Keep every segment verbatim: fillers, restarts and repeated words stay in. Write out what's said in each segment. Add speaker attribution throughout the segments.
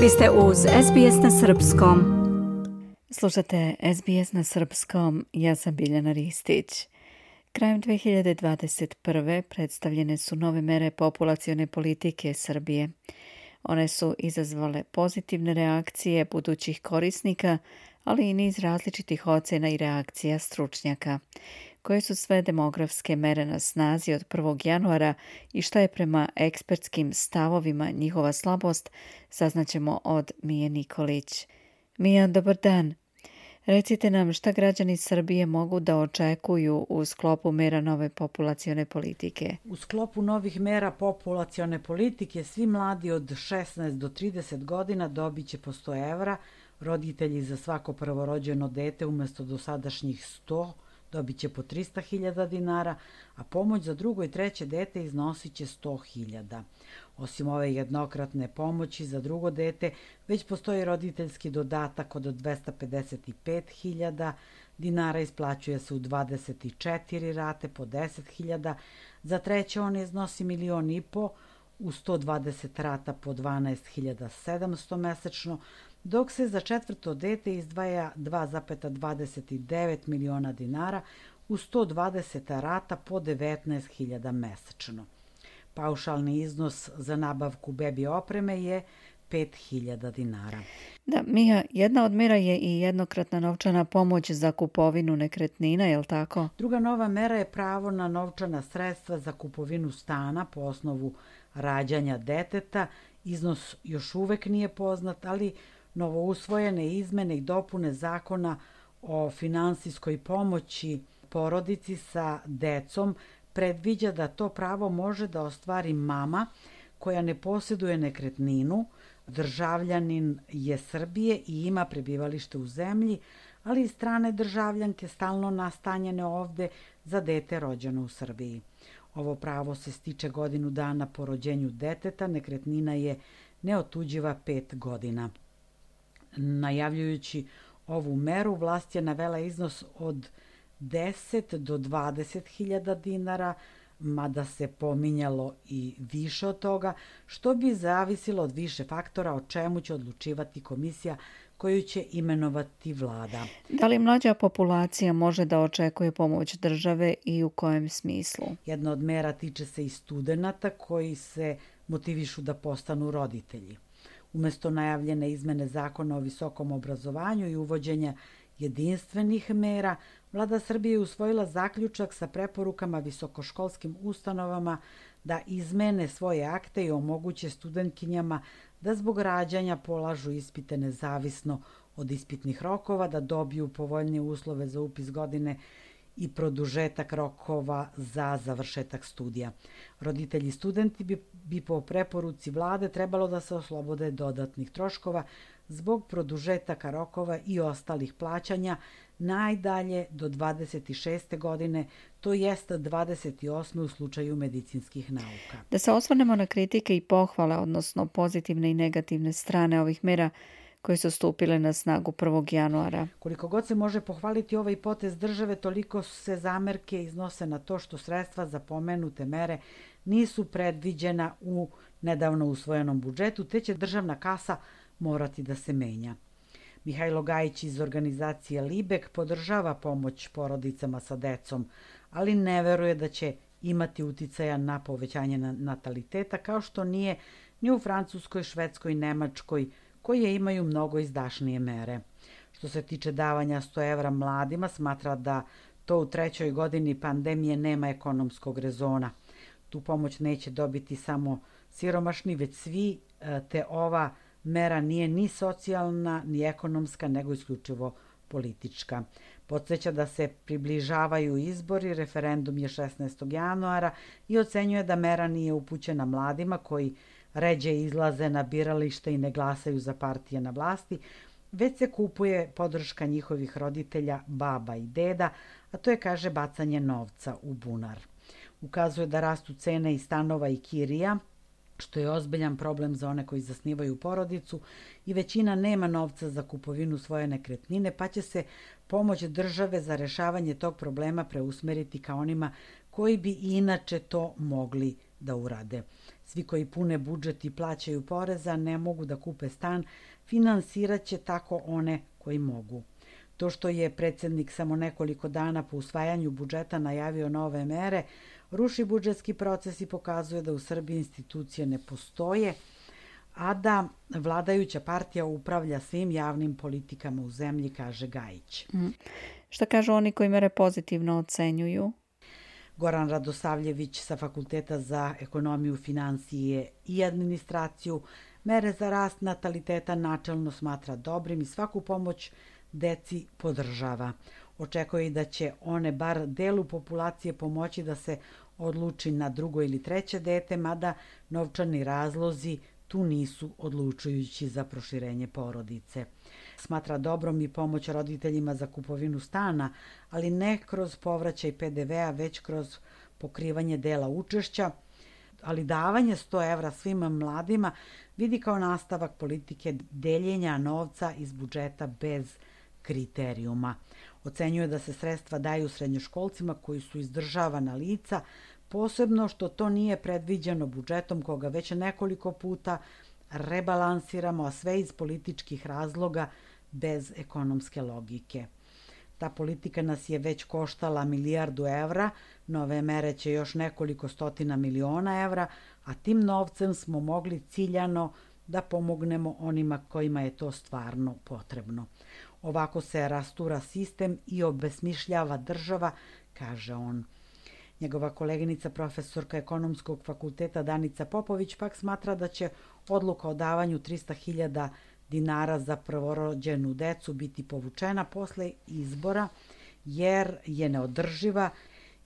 Speaker 1: Vi ste uz S B S na srpskom. Slušate S B S na srpskom, ja sam Biljana Ristić. Krajem dve hiljade dvadeset prve predstavljene su nove mere populacione politike Srbije. One su izazvale pozitivne reakcije budućih korisnika, ali i niz različitih ocena i reakcija stručnjaka. Koje su sve demografske mere na snazi od prvog januara i šta je prema ekspertskim stavovima njihova slabost, saznaćemo od Mije Nikolić. Mija, dobar dan. Recite nam šta građani Srbije mogu da očekuju u sklopu mera nove populacione politike.
Speaker 2: U sklopu novih mera populacione politike svi mladi od šesnaest do trideset godina dobit će po sto evra, roditelji za svako prvorođeno dete umjesto dosadašnjih sto dobit će po trista hiljada dinara, a pomoć za drugo i treće dete iznosit će sto hiljada. Osim ove jednokratne pomoći za drugo dete, već postoji roditeljski dodatak od dvesta pedeset pet hiljada dinara, isplaćuje se u dvadeset četiri rate po deset hiljada, za treće on iznosi milion i po, u sto dvadeset rata po dvanaest hiljada sedamsto mesečno, dok se za četvrto dete izdvaja dva zarez dvadeset devet miliona dinara u sto dvadeset rata po devetnaest hiljada mesečno. Paušalni iznos za nabavku bebi opreme je pet hiljada dinara.
Speaker 1: Da, Mija, jedna od mera je i jednokratna novčana pomoć za kupovinu nekretnina, je li tako?
Speaker 2: Druga nova mera je pravo na novčana sredstva za kupovinu stana po osnovu rađanja deteta. Iznos još uvek nije poznat, ali novousvojene izmene i dopune zakona o finansijskoj pomoći porodici sa decom predviđa da to pravo može da ostvari mama koja ne posjeduje nekretninu, državljanin je Srbije i ima prebivalište u zemlji, ali i strane državljanke stalno nastanjene ovde za dete rođeno u Srbiji. Ovo pravo se stiče godinu dana po rođenju deteta, nekretnina je neotuđiva pet godina. Najavljujući ovu meru, vlast je navela iznos od deset do dvadeset hiljada dinara, mada se pominjalo i više od toga, što bi zavisilo od više faktora o čemu će odlučivati komisija koju će imenovati vlada.
Speaker 1: Da li mlađa populacija može da očekuje pomoć države i u kojem smislu?
Speaker 2: Jedna od mera tiče se i studenata koji se motivišu da postanu roditelji. Umesto najavljene izmene zakona o visokom obrazovanju i uvođenja jedinstvenih mera, Vlada Srbije je usvojila zaključak sa preporukama visokoškolskim ustanovama da izmene svoje akte i omoguće studentkinjama da zbog rađanja polažu ispite nezavisno od ispitnih rokova, da dobiju povoljnije uslove za upis godine i produžetak rokova za završetak studija. Roditelji i studenti bi, bi po preporuci vlade trebalo da se oslobode dodatnih troškova zbog produžetaka rokova i ostalih plaćanja najdalje do dvadeset šeste godine, to jest dvadeset osme u slučaju medicinskih nauka.
Speaker 1: Da se osvrnemo na kritike i pohvale, odnosno pozitivne i negativne strane ovih mera koje su stupile na snagu prvog januara.
Speaker 2: Koliko god se može pohvaliti ovaj potez države, toliko se zamerke iznose na to što sredstva za pomenute mere nisu predviđena u nedavno usvojenom budžetu, te će državna kasa morati da se menja. Mihajlo Gajić iz organizacije Libek podržava pomoć porodicama sa decom, ali ne veruje da će imati uticaja na povećanje nataliteta, kao što nije ni u Francuskoj, Švedskoj, Nemačkoj, koje imaju mnogo izdašnije mere. Što se tiče davanja sto evra mladima, smatra da to u trećoj godini pandemije nema ekonomskog rezona. Tu pomoć neće dobiti samo siromašni, već svi, te ova mera nije ni socijalna, ni ekonomska, nego isključivo politička. Podsjeća da se približavaju izbori, referendum je šesnaestog januara i ocenjuje da mera nije upućena mladima koji ređe izlaze na biralište i ne glasaju za partije na vlasti, već se kupuje podrška njihovih roditelja, baba i deda, a to je, kaže, bacanje novca u bunar. Ukazuje da rastu cene i stanova i kirija, što je ozbiljan problem za one koji zasnivaju porodicu i većina nema novca za kupovinu svoje nekretnine, pa će se pomoć države za rešavanje tog problema preusmeriti ka onima koji bi inače to mogli da urade. Svi koji pune budžet i plaćaju poreza ne mogu da kupe stan, finansirat će tako one koji mogu. To što je predsjednik samo nekoliko dana po usvajanju budžeta najavio nove mere, ruši budžetski proces i pokazuje da u Srbiji institucije ne postoje, a da vladajuća partija upravlja svim javnim politikama u zemlji, kaže Gajić.
Speaker 1: Mm. Šta kažu oni koji mere pozitivno ocenjuju?
Speaker 2: Goran Radosavljević sa Fakulteta za ekonomiju, financije i administraciju mere za rast nataliteta načelno smatra dobrim i svaku pomoć deci podržava. Očekuje i da će one bar delu populacije pomoći da se odluči na drugo ili treće dete, mada novčani razlozi tu nisu odlučujući za proširenje porodice. Smatra dobrom i pomoć roditeljima za kupovinu stana, ali ne kroz povraćaj pe de vea, već kroz pokrivanje dela učešća, ali davanje sto evra svim mladima vidi kao nastavak politike deljenja novca iz budžeta bez kriterijuma. Ocenjuje da se sredstva daju srednjoškolcima koji su izdržavana lica, posebno što to nije predviđeno budžetom koga već nekoliko puta rebalansiramo, a sve iz političkih razloga bez ekonomske logike. Ta politika nas je već koštala milijardu evra, nove mere će još nekoliko stotina miliona evra, a tim novcem smo mogli ciljano da pomognemo onima kojima je to stvarno potrebno. Ovako se rastura sistem i obesmišljava država, kaže on. Njegova koleginica, profesorka ekonomskog fakulteta Danica Popović, pak smatra da će odluka o davanju trista hiljada dinara za prvorođenu decu biti povučena posle izbora, jer je neodrživa,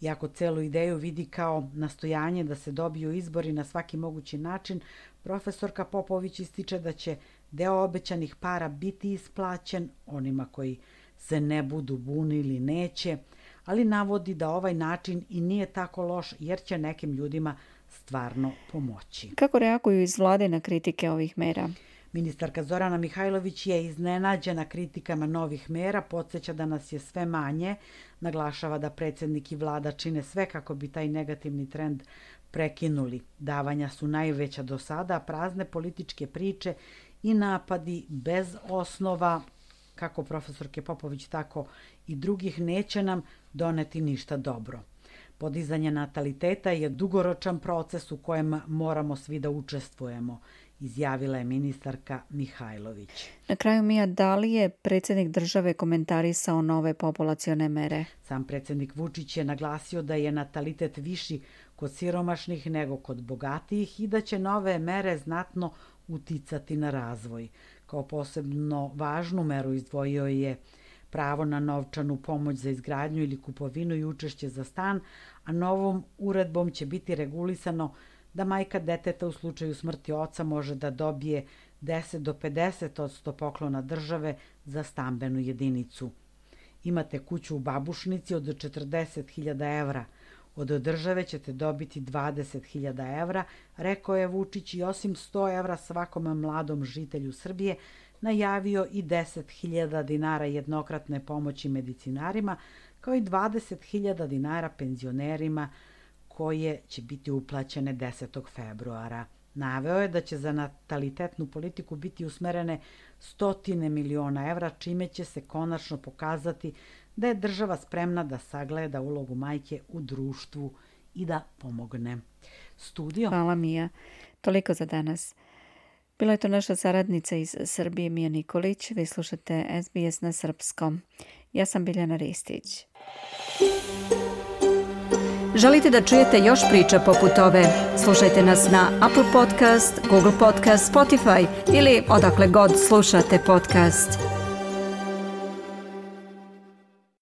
Speaker 2: iako celu ideju vidi kao nastojanje da se dobiju izbori na svaki mogući način. Profesorka Popović ističe da će deo obećanih para biti isplaćen onima koji se ne budu bunili neće, ali navodi da ovaj način i nije tako loš jer će nekim ljudima stvarno pomoći.
Speaker 1: Kako reaguju iz vlade na kritike ovih mera?
Speaker 2: Ministarka Zorana Mihajlović je iznenađena kritikama novih mera, podsjeća da nas je sve manje, naglašava da predsjednik i vlada čine sve kako bi taj negativni trend prekinuli. Davanja su najveća do sada, prazne političke priče i napadi bez osnova, kako profesorke Popović, tako i drugih, neće nam doneti ništa dobro. Podizanje nataliteta je dugoročan proces u kojem moramo svi da učestvujemo, izjavila je ministarka Mihajlović.
Speaker 1: Na kraju, Mija, da li je predsjednik države komentarisao nove populacione mere?
Speaker 2: Sam predsjednik Vučić je naglasio da je natalitet viši kod siromašnih nego kod bogatijih i da će nove mere znatno uticati na razvoj. Kao posebno važnu meru izdvojio je pravo na novčanu pomoć za izgradnju ili kupovinu i učešće za stan, a novom uredbom će biti regulisano da majka deteta u slučaju smrti oca može da dobije deset do pedeset posto poklona države za stambenu jedinicu. Imate kuću u Babušnici od četrdeset hiljada evra. Od države ćete dobiti dvadeset hiljada evra, rekao je Vučić, i osim sto evra svakom mladom žitelju Srbije najavio i deset hiljada dinara jednokratne pomoći medicinarima, kao i dvadeset hiljada dinara penzionerima koje će biti uplaćene desetog februara. Naveo je da će za natalitetnu politiku biti usmerene stotine miliona evra, čime će se konačno pokazati da je država spremna da sagleda ulogu majke u društvu i da pomogne. Studio.
Speaker 1: Hvala, Mija. Toliko za danas. Bila je to naša saradnica iz Srbije, Mija Nikolić. Vi slušate es be es na srpskom. Ja sam Biljana Ristić. Želite da čujete još priča poput ove? Slušajte nas na Apple Podcast, Google Podcast, Spotify ili odakle god slušate podcast.